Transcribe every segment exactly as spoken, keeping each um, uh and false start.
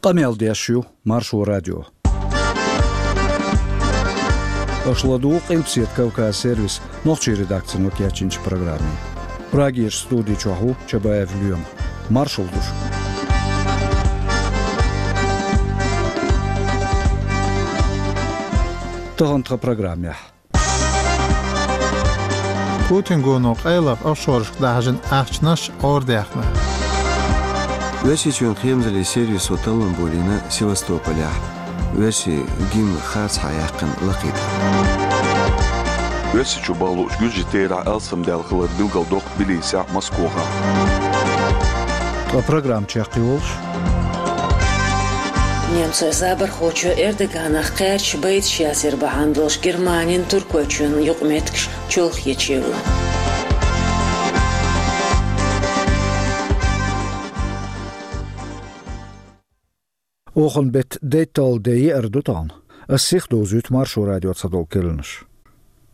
Къамел деш ю Маршо радио. Аша ладугӀу Къилбседа Кавказ сервисан нохчийн редакцино кечйинчу программе. Прагерчу студи чохь ву Чабаев Лоьма. Маршалла ду шуьга. Тахана тхан программехь. Путин гоно къайлаха офшорашка дахьажина ахчанаш гӀора даьхна. Оьрсийчоьнан кхерамзаллин сервисо таллам болийна Севастополехь оьрсийн гимн харцахьа яьккхина лакхе тӀе. Оьрсийчу бахьалучу гуьржийн терахь алсамдаьлла хилар билгалдоккху Тбилисехь, Москвахь. Ткъа программа чекхйолуш. Немцойн забархочо Эрдоганах кхаьрдаш байдаш яцар бахьана долуш Германин Туркойчоьнан юкъаметтигаш чолхе чевлла. Оханан беттан дейтталгӀа де еара ду тахана. Ас сиха довзуьйту Маршо радион цхьадолу керланаш.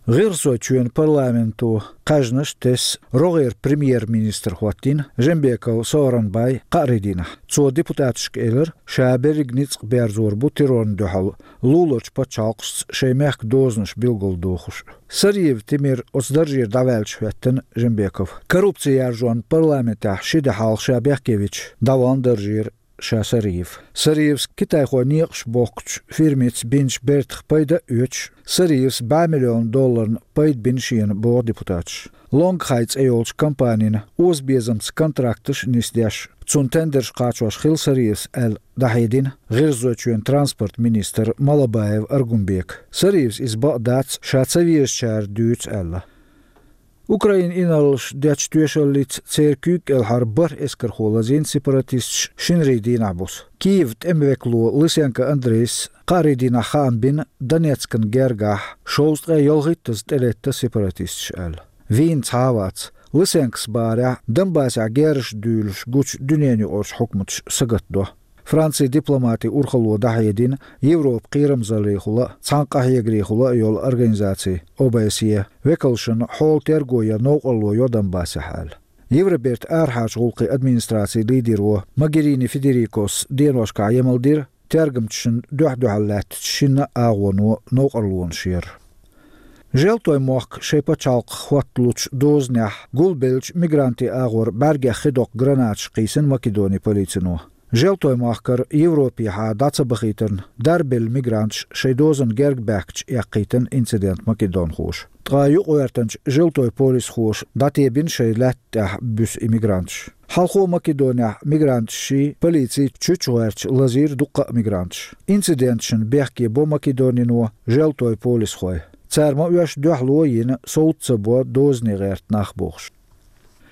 ГӀиргӀазойчоьнан парламенто кхаьжнаш тесна рогӀера премьер-министр хӀоттийна Жээнбеков Сооронбай кхаарин дийнахь. Цо депутаташка элира, ша берриг ницкъ берзор бу террорна дуьхьал луларчу пачхьалкхашца шайн мехкан дозанаш билгалдохуш. Сариев Тимир оцу даржера дӀаваьлча хӀоьттина Жээнбеков. Коррупци яржонна парламентехь ши де хьалха ша бехкевича, дӀаваьлла даржера ша Сариев. Сариевс китайхойн некъаш бохкучу фирмица бинчу бертах пайда а оьцуш, Сариевс бӀе миллион долларна пайда бина шена, боху депутаташа. Лонгхай цӀе йолчу компанина озабезамца контракташ а нисдеш, цунна тендерш кхачош хилла Сариевс аьлла, дӀахьедина ГӀиргӀазойчоьнан транспорт министр Малабаев Аргунбека. Сариевс иза бакъ дац, ша ца везачара дуьйцу аьлла. Украинан инарлаш дечу тоьшаллица церан куьйга кӀелхьара бархӀ эскархо лазийна сепаратисташа шинарин дийнахь буса. Киеван тӀеман векало Лысенко Андрейс кхаарин дийнахь хаам бина Донецкан гергахь шовзткъе ялхиттаза тӀелетта сепаратисташ аьлла. Вийна цхьа а вац. Лысенкос бахарехь, Донбассехь герзаш дуьйлуш гучу дуьненаюкъарчу хьукматаша сагатдо. Францин дипломатийн урхалло дӀахьедина Европан кхерамзаллехула а, цхьаьнакъахьегарехула а йолу организацин, О Б С Е, векалшна хьолан терго ян новкъарло йо Донбассехь аьлла. Евробертан арахьарчу гӀуллакхийн администрацин лидеро Могерини Федерикос деношкахь емал дира, тергамчашна дуьхь-дуьхьал лаьттачу шинна а агӀоно новкъарлонаш яр. Желтойн мохк шайн пачхьалкх хӀотталучу дозанехь гулбеллачу мигрантийн агӀор бӀаьргех хи доккху гранаташ кхийсина Македонин полицино. Желтойн махкара Европехьа дӀа ца бахийтарна, дарбелла мигранташ шайн дозанна герга баьхкича эккхийтина инцидент македонхоша. Ткъа юкъагӀоьртанчу желтойн полисхоша дӀатебина шайн лаьтта тӀехь буьсу и мигранташ. Хьалхо Македонехь мигранташший, полиций чуьчу гӀоьртича лазийра дуккха а мигранташ. Инциденташна бехке бо Македонино желтойн полисхой. Цара ма-оьшшу дуьхьало а йина, совца ца бо дозане гӀерта нах бохуш.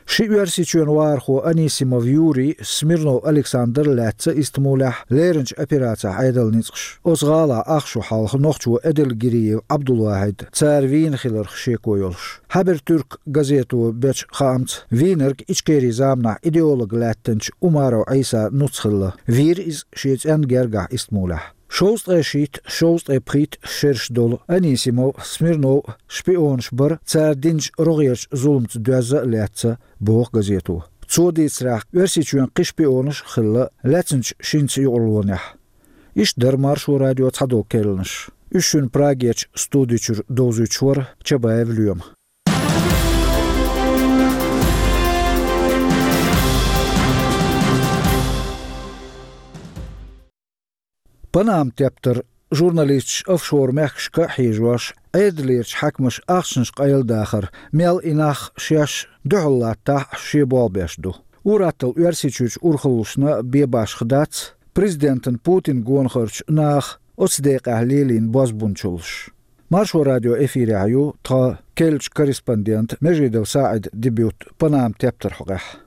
Ши Оьрсийчоьнан вахархо Анисимов Юрий, Смирнов Александр лаьцна Истамбулехь леринчу операцехь Ӏедалан ницкъаша. Оцу гӀалахь ах шу хьалха нохчо Эдельгириев Ӏабдулвахьид цара вийна хиларх шеко йолуш. Хабертюрк газето бечу хаамца, вийнарг Ичкерин заманахь идеолог лаьттинчу Умаров Ӏийсан нуц хилла. Вийра иза шен цӀенна гергахь Истамбулехь. Шовзткъе шийтта, шовзткъе пхийтта шераш долу Анисимов, Смирнов шпионаш бара, цара динчу рогӀерчу зуламца доьзна а лаьцна, боху газето. Цо дийцарехь, Оьрсийчоьнан кхин шпионаш а хилла лаьцначу шинца юкъарлонехь. Иштта дара Маршо радион цхьадолу керланаш. Уьш шуна Прагерчу студи чуьра довзуьйтуш вара Чабаев Лоьма. Панама тептар журналисташ офшор-мехкашка а хьежош, Ӏедалерчу хьаькамаша ахчанаш къайладахар, мел и нах шаьш дуьхьал латтахь а шен болх беш ду. Ур-атталла Оьрсийчуьрчу урхаллашна бен башха дац президентан Путин гонахарчу наха оцу декъехь лелийна бозбунчаллаш. Маршо радион эфирехь ю тхан керлачу корреспондентан Межидов СаӀидан дебют Панама тептарх хьокъехь.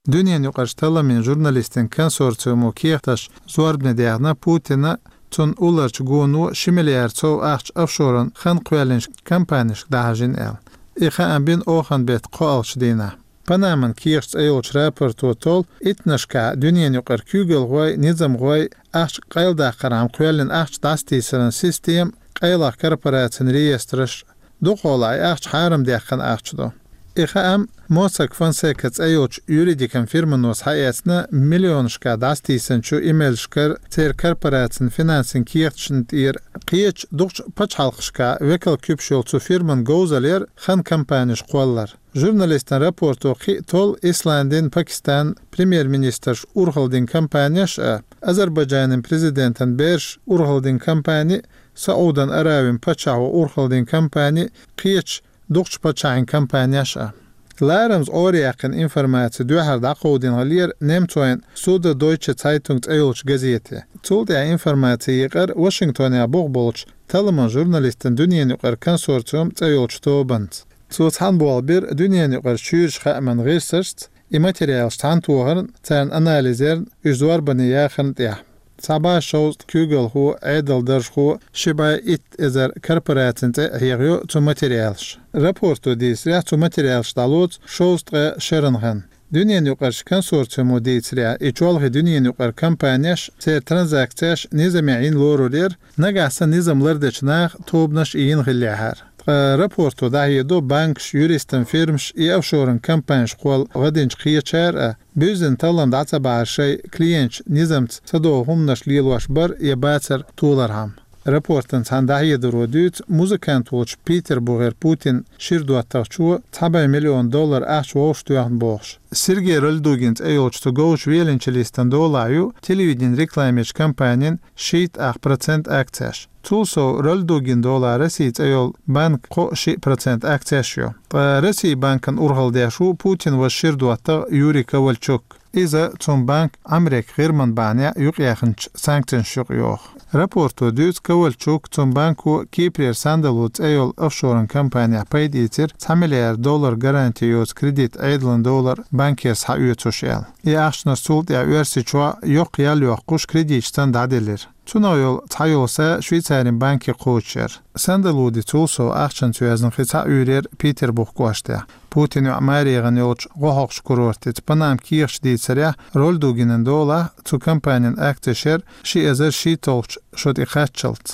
Дуьненаюкъарчу талламийн журналистийн консорциумо кехаташ зорбане даьхна Путина, цунна уллорчу гоно ши миллиард сов ахча офшоран хан кхоьллинчу компанешка дӀахьажийна аьлла. И хаам бина оханан беттан кхоалгӀачу дийнахь. Панаман кехаш цӀе йолчу рапорто толлу иттаннашкахь дуьненаюкъара куьйгалхой, низамхой ахча къайладаккхархьама кхоьллина ахча дӀасатийсаран система, къайлаха корпорацийн реестраш, дукхахьолахь и ахча хьарам даьккхина ахча ду. И хаам Mossack Fonseca цӀе йолчу юридикан фирмано схьаэцна миллионашкахь дӀасатийсинчу имейлашкара, церан корпорацин финансийн кехаташна тӀера кхечу дукхачу пачхьалкхашкахь векал куьпаш йолу цу фирман говзаллера хан компанеш кхоллар. Журналистан рапорто кхин а толлу Исландин, Пакистанан премьер-министраш урхалла дина компанеш а, Азербайджанан президентан бераш урхалла дина компани, Саудан Аравин паччахьо урхалла дина компани, кхечу дукхачу паччахьийн компанеш а. Ларамаза Ӏораяьккхина информаци дуьххьара дӀакховдийна хиллера немцойн Süddeutsche Zeitung цӀе йолчу газете. Цул тӀаьхьа информаци екъар Вашингтонехь буха болчу талламан журналистан дуьненан юкъара консорциум цӀе йолчу тобанца. Цо цхьаьна болх бира дуьненан юкъара чуьйрачу хааман гӀирсашца, и материалаш цхьаьнатохарна, царна анализ ярна, уьш зорбане яхарна тӀехь. Цхьа бӀе шовзткъа куьйгалхо, Ӏедалан даржхо, ши бӀе итт эзар корпорацин цӀе а хьехайо цу материалаша. Рапорто дийцарехь, цу материалаш дӀалоцу шовзткъе шеран хан. Дуьненан юкъарчу консорциумо дийцарехь, и чолхе дуьненан юкъара компанеш, церан транзакцеш низамехь йина лорур яра, нагахь санна низам лардечу наха тобанаш а йина хиллехьара. Ткъа рапорто дӀахьедо банкаш, юристан фирмаш, и офшоран компанеш кхолла гӀадинчу кхечара а, буьззина таллам дӀа ца бахьара шайн клиенташ низамца садовла хӀуманаш лелош бар я бацар толархьама. Рапортан цхьана дӀахьедаро дуьйцу музыкант волчу Питербургера Путинан шира доттагӀчо цхьа бӀе миллион доллар ахча вовшахтоьхна бохуш. Сергей Рольдугин цӀе йолчу цу говзачу веллачу листан долахь ю телевиденин рекламечу компанин шийтта ах процент акцеш. Цул сов Рольдугин долахь Россия цӀе йолу банкан кхо а шиъ процент акцеш ю. Ткъа Россия банкана урхалла деш ву Путинан ваша шира доттагӀа Юрий Ковальчук. Иза цуьнан банк Ӏамеркан ГӀирман бахьанехь юкъаяьхначу санкцешна юкъа йоху. Рапорто дуьйцу Ковальчук, цуьнан банко Кипрера Сандалу цӀе йолу офшоран компанехь пайда ийцира цхьа миллиард доллар гаранти йоцу кредит Ӏедална долар банкера схьаоьцуш аьлла. И ахчанаш цул тӀаьхьа Оьрсийчохь йоккха ял йоккхуш кредиташ цӀена дӀаделира. Цунах йолу цхьайолу са Швейцарин банке кхочуш яра. Сандалуди цул сов ахчанца йоьзна кхин цхьа уьйр яра Питербург кӀоштехь. Путинан йоӀ маре гӀана йолчу гӀо хьокхучу курортица Панама кехаташ дийцарехь, Рольдугинан долахь цу компанин акцеш яра ши эзар шийтталгӀачу шо тӀе кхаччалц.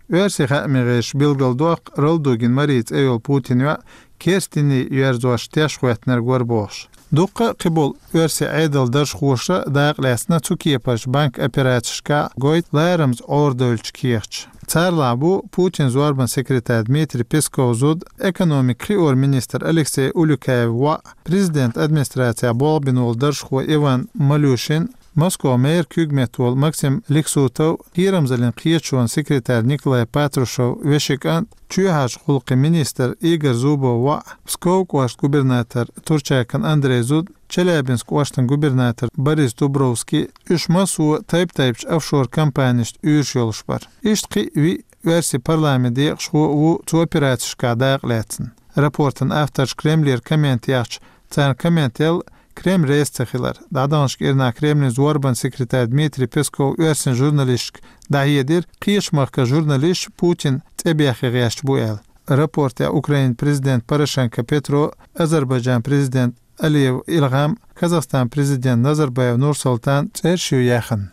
Оьрсийн хааман гӀирсаша билгалдоккху Рольдугин Мари цӀе йолу Путинан йоӀ керстаний йоьрзош теш хӀоьттинарг вара бохуш. Дуккха а кхиболу оьрсийн Ӏедалан даржхоша дакъа лаьцна цу кепарчу банкан операцешкахь гойту ларамаза Ӏорадевллачу кехаташ. Царалахь бу Путинан зорбанан секретарь Дмитрий Пескован зуда, экономикан кхиоран министр Алексей Улюкаевн воӀ, президентан администрацехь болх бина волу даржхо Иван Малюшин, Москван мэран куьйга метта волу Максим Лексутов, кхерамзаллин кхеташонан секретарь Николай Патрушевн вешин кӀант, чоьхьарчу гӀуллакхийн министр Игорь Зубовн воӀ, Пскован кӀоштан губернатор Турчакан Андрейн зуда, Челябинскан кӀоштан губернатор Борис Дубровский, уьш массо а тайп-тайпанчу офшор компанешна уьйраш йолуш бара. Иштта кхин а виъ оьрсийн парламентан декъашхо а ву цу операцешкахь дакъа лаьцна. Рапортан авторша Кремлера коммент яхча, царна коммент яла Кремль реза ца хилар. ДӀадаханчу кӀирнахь Кремлин зорбанан секретарь Дмитрий Песков оьрсийн журналисташка дӀахьедира, кхечу махкан журналисташ Путинан цӀе бехке гӀерташ бу аьлла. Рапортехь Украинан президент Порошенко Петро, Азербайджан президент Алиев Илгьам, Казахстан президент Назарбаев Нурсултан цӀераш ю яьхна.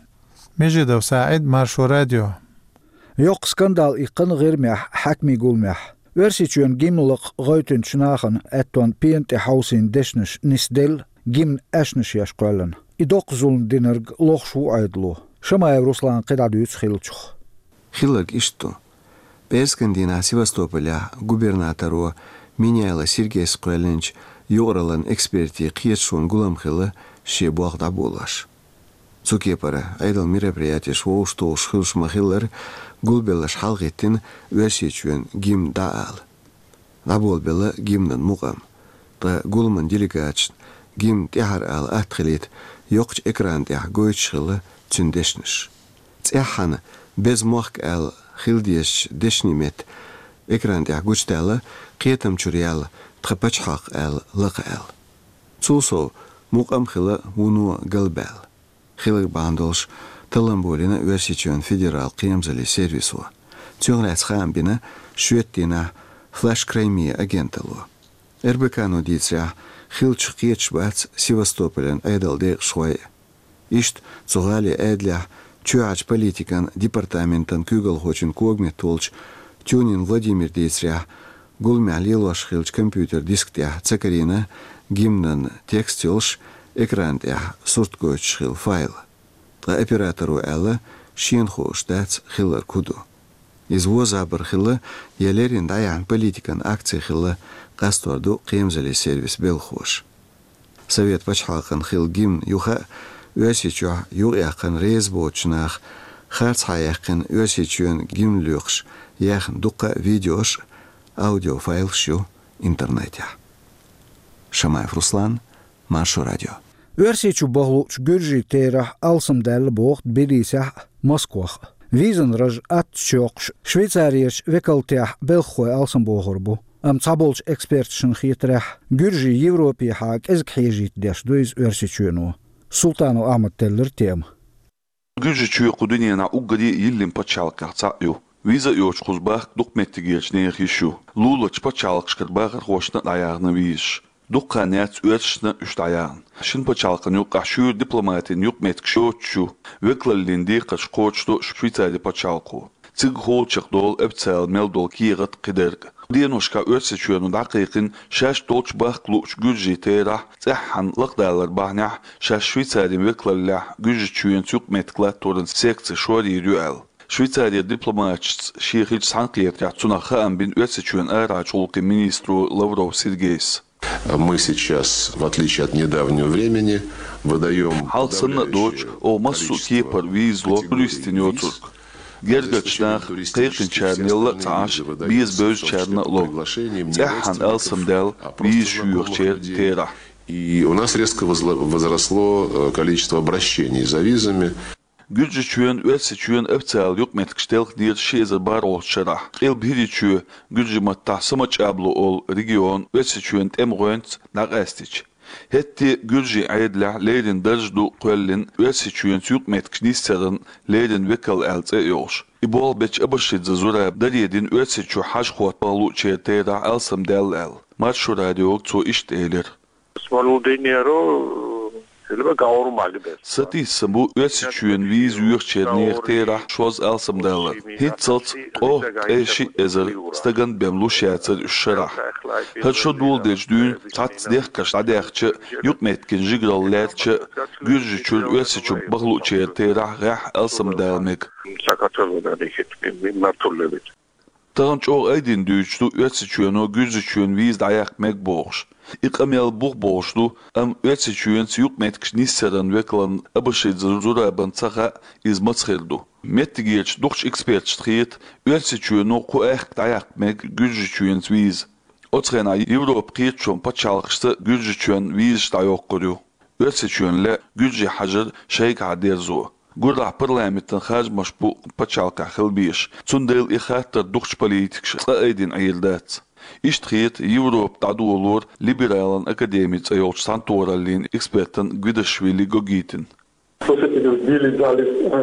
Межидов СаӀид, Маршо радио. Йоккха скандал иккхина ГӀирмехь хьаькамийн гуламехь. Оьрсийчоьнан гимн лакха гӀевттинчу нахана аьттон пена тӀе хьовсийна дешнаш нисделла гимнан аьшнаш еш кхоьллина. И доккха зулам динарг лохуш ву Ӏедало. Шамаев Руслана кхидӀа дуьйцу хиллачух. Хилларг иштта ду. ПӀераскан дийнахь Севастополехь губернаторо Меняйло Сергейс кхоьллинчу юкъараллин экспертийн кхеташонан гулам хилла шен болх дӀаболош. Цу кепара Ӏедалан мероприятеш вовшахтухуш хуьлуш ма-хиллара, гулбеллаша хьалагӀиттина Оьрсийчоьнан гимн дӀаала. ДӀаболабелла гимнан мукъам. Ткъа гуламан делегаташна гимн тӀаьхьара ала атта хилийта, йоккхачу экрана тӀехь гойтуш хилла цуьнан дешнаш. ЦӀеххьана «Беза мохк» аьлла хила дезачу дешнийн метта экрана тӀехь гучудаьлла «Кхетам чуьра яьлла тхан пачхьалкх» аьлла лакха аьлла. Цул сов, мукъам а хилла вуно галбаьлла. Хилларг бахьана долуш таллам болийна Оьрсийчоьнан федералан кхерамзаллин сервисо. Цунах лаьцна хаам бина шоьтан дийнахь «Флаш Крайми» агенталло. РБК-но дийцарехь, хиллачух кхеташ бац Севастополан Ӏедалан декъашхой а. Иштта цу гӀалин Ӏедалехь чоьхьарчу политикан департаментан куьйгалхочун когаметта волчу Тюнин Владимира дийцарехь, Гуламехь лелош хиллачу компьютер диск тӀехь ца карийна гимнан текст йолуш, экран тӀехь сурт гойтуш хилла файл. Ткъа операторо аьлла, шена хууш дац хилларг хӀун ду. Иза вон забар хилла я леррина дӀаяьхьна политикан акци хилла, къастор ду кхерамзаллин сервисан белхахоша. Совет пачхьалкхан хилла гимн юха а, Оьрсийчохь юкъаяьккхина реза боцучу наха харцахьа яьккхина Оьрсийчоьнан гимн лоькхуш яьхна дуккха а видеош а, аудиофайлаш ю интернетехь. Шамаев Руслан, Маршо радио. Оьрсийчу бахлучу гуьржийн терахь алсамдаьлла боху Тбилисехь а, Москвахь а. Визан раж аттачу йоккхуш, Швейцарерчу векалтехь белхахой алсамбохур бу. Амма цхьаболчу эксперташна хетарехь, гуьржий Европехьа кӀезиг хьежийта деш ду иза Оьрсийчоьно. Султанов Ахьмада теллира тема. Гуьржийчоь кху дуьненахь уггаре а йиллина пачхьалкхех цхьаъ ю. Виза а йоцуш кхуза бахка дукха меттигерчу нехан йиш ю. Луларчу пачхьалкхашкара бахархошна а дӀаяхна визаш. Дукха хан яц оьрсашна а уьш дӀаяхна. Шина пачхьалкхана юккъехь шуьйра дипломатин юкъаметтигаш йоцуш ю, векалаллин декхарш кхочушдо Швейцарин пачхьалкхо. Цига хьулчех долу официалан мел долу кехат а, кхидерг а. Деношкахь Оьрсийчоьно дӀакхайкхина шаьш долчу бахка луучу гуьржийн терахь цӀеххьана лакхадалар бахьанехь шаьш Швейцарин векалаллехь Гуьржийчоьнца юкъаметтиг латторан секци шорйийр ю аьлла. Швейцарин дипломаташца шен хиллачу цхьаьнакхетарехь цунах хаам бина Оьрсийчоьнан арахьарчу гӀуллакхийн министро Лавров Сергейс. Мы сейчас, в отличие от недавнего времени, выдаём... Хьалха санна а доцуш, оха массо а кепара виза ло туристийн йоцург. Гергарчу наха кхайкхинчарна елла а ца Ӏаш, беза бевзачарна а ло. ЦӀеххьана алсамдаьлла визаш йоьхучеран терахь. И у нас резко возла-, возросло, э, количество обращений за визами. Гуьржийчоьнан, Оьрсийчоьнан официалан юкъаметтигаш телхинера ши эзар бархӀолгӀачу шарахь. Къилба ХӀирийчоь гуьржийн маттахь Самачаблу олу регион Оьрсийчоьнан тӀеман гӀоьнца дӀакъаьстича. ХӀетте а гуьржийн Ӏедалехь леррина дарж ду кхоьллина Оьрсийчоьнца юкъаметтигаш нисъяран леррина векал аьлла цӀе а йолуш. И болх бечу Абашидзе Зураба даре дина Оьрсийчу хьажа-хотта бахлучеран терахь алсамдаьлла аьлла. Маршо радиога цо иштта элира. Сатийсам бу Оьрсийчоьнан виза йоьхучеран нехан терахь шозза алсамдалар. ХӀинццалц ткъе шиъ эзар стагана бен луш яцара уьш шарахь. ХӀара шо доладелча дуьйна цхьацца дехкарш дӀадаьхча а, юкъаметтиган жигаралла лаьрча а, Гуьржийчуьра Оьрсийчу бахлучеран терахь гӀеххьа алсамдала мега. Тахана чӀогӀа айдина дуьйцуш ду Оьрсийчоьно Гуьржийчоьнан виза дӀаяккха мега бохуш. И къамел бух болуш ду, амма Оьрсийчоьнца юкъаметтигаш нисъяран векална Абашидзе Зурабана ца хаьа, иза маца хир ду. Меттигерчу дукхачу эксперташна хета, Оьрсийчоьно кху аьхка дӀаяккха мега Гуьржийчоьнца виза. Оцу хенахь Европан кхеташонан пачхьалкхашца Гуьржийчоьнна визаш дӀайоккхур ю. Оьрсийчоьнна лаьа гуьржийн хьажар шайгахьа дерзо. Гурахь парламентан харжамаш бу пачхьалкхехь хила безаш, цундела и хаттар дукхачу политикаша цкъа айдина Ӏийр дац. Иштта хета Европа дӀадолор либералан академи цӀе йолчу цхьаьнатохараллин экспертан Гвидашвили Гогитин.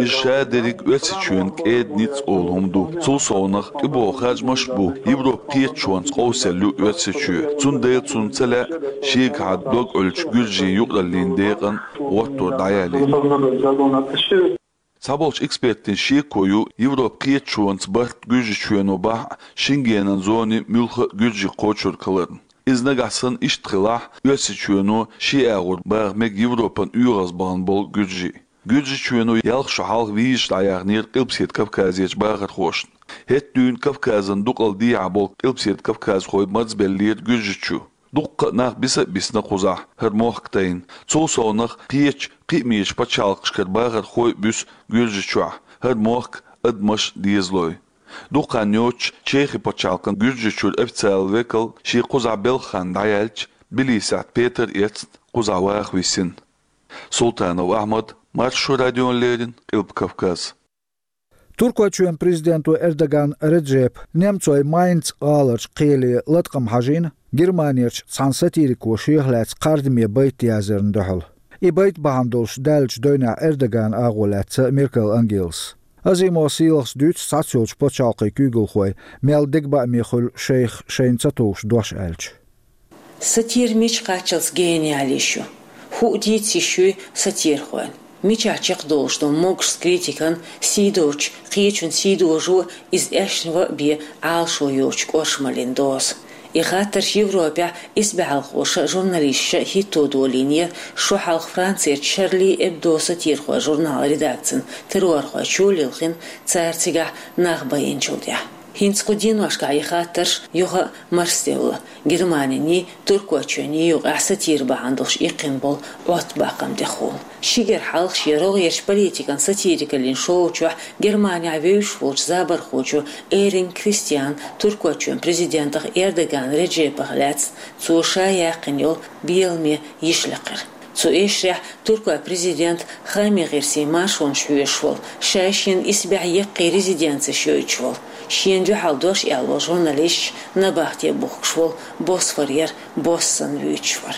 Иза ша дерриг Оьрсийчоьнан кӀеда ницкъ олу хӀума ду. Цул совнах, тӀебогӀу харжамаш а бу, Европан кхеташонца къовсалла ю Оьрсийчоь. Цундела цунна ца лаьа шегахьа дог Ӏуьллучу гуьржийн юкъараллин декъан гӀоттор дӀаялийта. Цхьаболчу экспертийн шеко ю Европан кхеташонца барт Гуьржийчоьно бахь а Шенгенан зони муьлхха а гуьржий кхочург хиларна. Иза нагахь санна иштта хилахь, Оьрсийчоьно шен агӀор баха мега Европан оьгӀазбахана болу гуьржий. Гуьржийчоьно ялх шо хьалха визаш дӀаяьхнера Къилбаседа Кавказерчу бахархошна. ХӀетта дуьйна Кавказан дукъал дехьа болу Къилбаседа кавказхой марзбеллера Гуьржийчу. Дуккха а нах биса а бисна кхузахь, хӀара мохк тайна. Цул совнах, кхечу кхиамечу пачхьалкхашкара бахархой а буьсу Гуьржийчохь, хӀара мохк, адамаш, дезалой. Дукха хан йоццуш Чехи пачхьалкхан Гуьржийчуьра официалан векал шен кхузахь белхан дӀаяьлча, Тбилисехь Петар эцна кхузахь ваха висина. Султанов Ахьмад, Маршо радиона леррина, Къилба Кавказ. Туркойчоьнан президенто Эрдоган Реджепа немцойн Майнц гӀаларчу кхеле латкъам хьажийна Германерчу цхьана сатирико шех лаьцна кхардаме байт яздарна дуьхьал. И байт бахьана долуш даьллачу девнехь Эрдоганан агӀо лаьцна Меркел Ангелас. Азимова Сийлахьас дуьйцу цхьаццайолчу пачхьалкхийн куьйгалхой мел дегабааме хуьлу шайх шайна ца товш дош аьлча. Сатира мича кхаччалц гениал йиш ю? ХӀуъа дийца йиш юй сатирхойн? Мичахь чекхдолуш ду могуш критикан, сийдолчу кхечун сийдожо, иза аьшна ван а бен, Ӏалашо йоцучу кӀоршамаллин доза? И хаттарш Европехь исбаьхьалхоша, журналисташа хӀитто долийнера шо хьалха Францерчу Шарли Эбдо сатирхойн журнал редакцин террорхойчо лилхина, цара цигахь нах байинчул тӀаьхьа. ХӀинца кху деношкахь и хаттарш юха а марсадевлла, Германин, Туркойчоьнан юкъахь сатира бахьана долуш иккхина болу Ӏоттабаккхам тӀехула. Ши гергга хьалха шен рогӀерчу политикан сатирикаллин шоу чохь Германехь вевзаш волчу забархочо Эринг Кристиана Туркойчоьнан президентах Эрдоган Реджепах лаьцна цо ша яьккхина йолу беламе йиш лекхира. Цу эшарехь туркойн президент Хайман гӀирсийн маршонаш хьоьшуш волу, ша шена исбаьхьа яккхий резиденцеш йойтуш волу, шена дуьхьал дош аьлла волу журналисташ набахте бухкуш волу Босфорера бос санна вуьйцуш вара.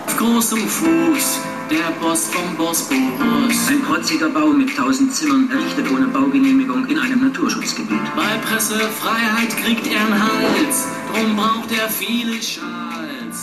Auf großem Fuß, der Boss vom Bosporus. Ein protziger Bau mit tausend Zimmern, errichtet ohne Baugenehmigung in einem Naturschutzgebiet. Bei Pressefreiheit kriegt er einen Hals, drum braucht er viele Schals.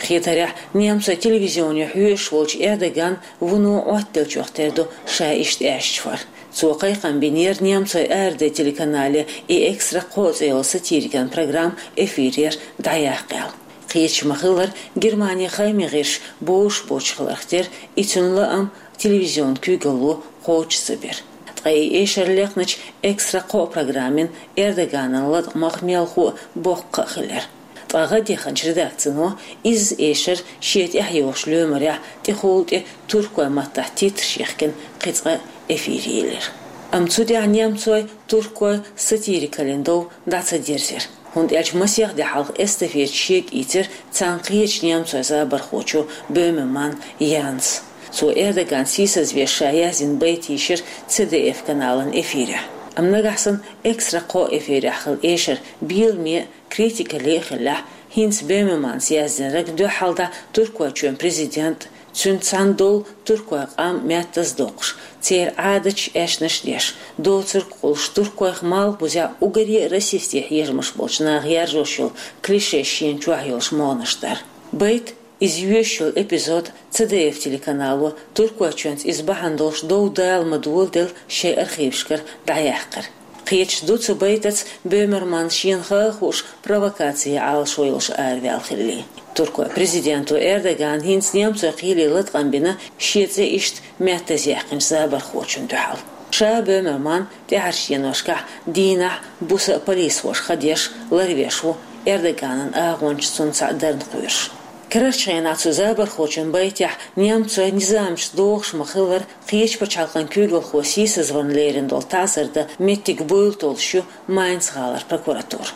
Хетарехь, немцойн телевизионе хьоьшуш волчу Эрдоган вуно Ӏоттаделлачух тера ду ша иштта аьшча вар. Цо кхайкхам бинера немцойн АРД телеканале и «Экстра кхоъ» цӀе йолу сатирикан программа эфирера дӀаяккха аьлла. Кхеташ ма-хиллара, Германин хайман гӀирсаш бовзуш боцуш хиларх тера и цуьнан лаам телевизионан куьйгалло кхочуш ца бира. Ткъа и эшар лекхначу «Экстра кхоъ» программин Эрдоганан латкъамах мелхо а, боккха а хилира. Ткъа гӀадъяханчу редакцино изза эшар шен тӀаьхьайогӀучу лоьмарехь тӀехула тӀе туркойн маттахь титраш йихкина кхин цкъа эфире йиллира. Амма цу тӀехь немцойн, туркойн сатирикаллин дов дӀа ца дирзира, хӀунда аьлча масех де хьалха эстафета шега ийцира царна кхечу немцойн забархочо Бёмерман Янса. Цо Эрдоган сийсазвеш ша яздина байт йийшира Ц Д Ф каналан эфирехь. Амма нагахь санна «Экстра кхоъ» эфирехь хилла эшар беламе а, критикалле а хиллехь, хӀинца Бёмерманца яздинарг дуьххьалдӀа Туркойчоьнан президент, цуьнца цхьаьна долу туркойн къам меттаза доккхуш, церан Ӏадаташ, аьшнаш деш, доцург къулуш, туркойх малхбузехь уггаре а расистийн хьежамаш болчу наха яржош йолу клише шена чохь йолуш могӀанаш дар. Байт, иза йоьшуш йолу эпизод Ц Д Ф телеканало Туркойчоьнца иза бахьана долуш дов дала ма-доладелла шайн архивашкара дӀаяьккхира. Кхеташ ду цу байтаца Бёмерман шена ха а хууш провокацийн Ӏалашо йолуш араваьлла хилале. Туркойн президенто Эрдогана хӀинца немцойн кхеле латкъам бина шен цӀе иштта меттаза яьккхинчу забархочунна дуьхьал. Ша Бёмерман тӀаьхьарчу деношкахь дийнахь, буса а полисхоша ха деш, ларвеш ву, Эрдоганан агӀончаш цунна цхьаъ дарна кхоьруш. Карарчу хенахь цу забархочун байтехь немцойн низамаша догӀуш ма-хиллара, кхечу пачхьалкхан куьйгалхо сийсазварна лерина долу таӀзар дан меттиг буйла толлуш ю Майнц-гӀалара прокуратура.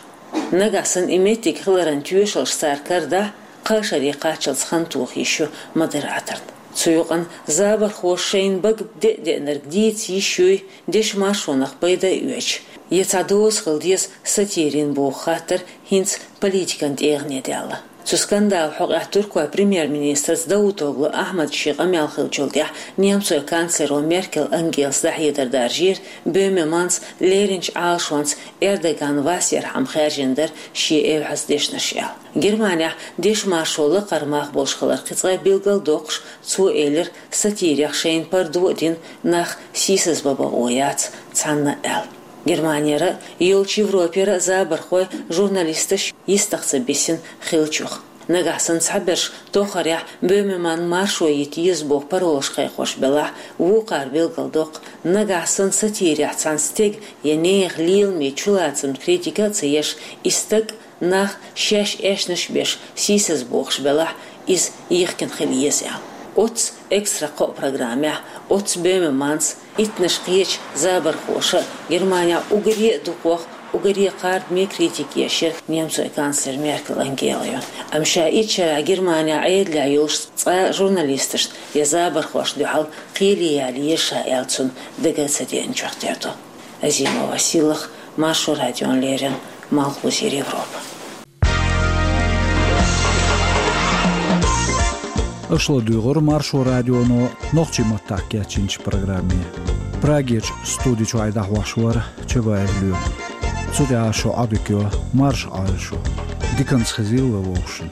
Нагахь санна и меттиг хиларан тоьшаллаш цара карадахь, кхаа шаре кхаччалц хан тоха йиш ю модераторна. Цу юкъана забархоша шайна бага де а деанарг дийца йиш юй, дешан маршонах пайда а оьцуш, я цхьа доза хила деза сатирин боху хаттар хӀинца политикан тӀегӀане даьлла. Цу скандалан хьокъехь туркойн премьер-министрца Давутоглу Ахьмада шен къамел хиллачул тӀаьхьа немцойн канцлеро Меркель Ангелас дӀахьедар даржийра, Бёмерманца леринчу Ӏалашонца Эрдоган вас ярхьама хаьржина дара шен эвхьаза дешнаш аьлла. Германехь дешан маршо лакхара мах болуш хилар кхин цкъа билгалдоккхуш, цо элира, сатирех шайна пардо а дина, нах сийсазбан бакъо яц цхьанна аьлла. Германера а, йолчу Европера а забархой журналисташ йистах ца бисина хиллачух. Нагахь санна цхьаберш тохарехь Бёмерманан маршо йита еза боху паролаш кхайкхош белахь, вукхара билгалдоккху, нагахь санна сатирехь цхьана стеган я нехан леламийн чулацамна критика а ца еш, и стаг нах шаьш аьшнаш беш сийсазбохуш белахь, иза йихкина хила еза аьлла. Оццу «Экстра кхоъ» программехь, оццу Бёмерманца, иттанаш кхечу забархоша а Германехь уггаре а дукхох, уггаре а кхардаме критика еш яра немцойн канцлер Меркель Ангела ю. Амма ша итт шарахь Германехь Ӏедалехь йолуш цкъа журналисташна я забархошна дуьхьал кхеле яла еза ша аьлла цунна дага а ца деанчух тера ду. Азимова Сийлаха, Маршо радиона леррина, Малхбузера Европа. Аша ладуьйгӀира Маршо радионо нохчийн маттахь кечйинчу программе. Прагерчу студи чуьра дӀахьош вара Чабаев Лоьма. Цу тӀехь шун Ӏодика йо, марша Ӏойла шу. Диканца хезийла вовшашна.